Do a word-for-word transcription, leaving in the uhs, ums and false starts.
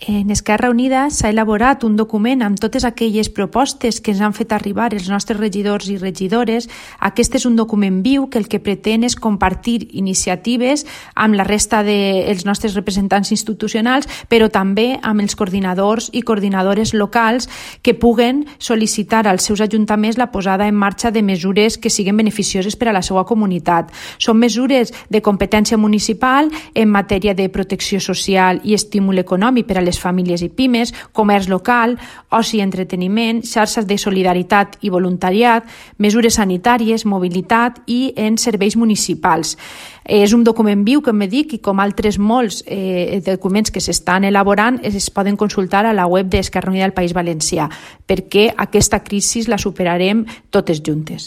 En Esquerra Unida s'ha elaborat un document amb totes aquelles propostes que ens han fet arribar els nostres regidors i regidores. Aquest és un document viu que el que pretén és compartir iniciatives amb la resta dels nostres representants institucionals, però també amb els coordinadors i coordinadores locals que puguen sol·licitar als seus ajuntaments la posada en marxa de mesures que siguin beneficioses per a la seva comunitat. Són mesures de competència municipal en matèria de protecció social i estímul econòmic per a les famílies i pimes, comerç local, oci i entreteniment, xarxes de solidaritat i voluntariat, mesures sanitàries, mobilitat i en serveis municipals. És un document viu, com he dit, i com altres molts eh, documents que s'estan elaborant es poden consultar a la web d'Esquerra Unida del País Valencià, perquè aquesta crisi la superarem totes juntes.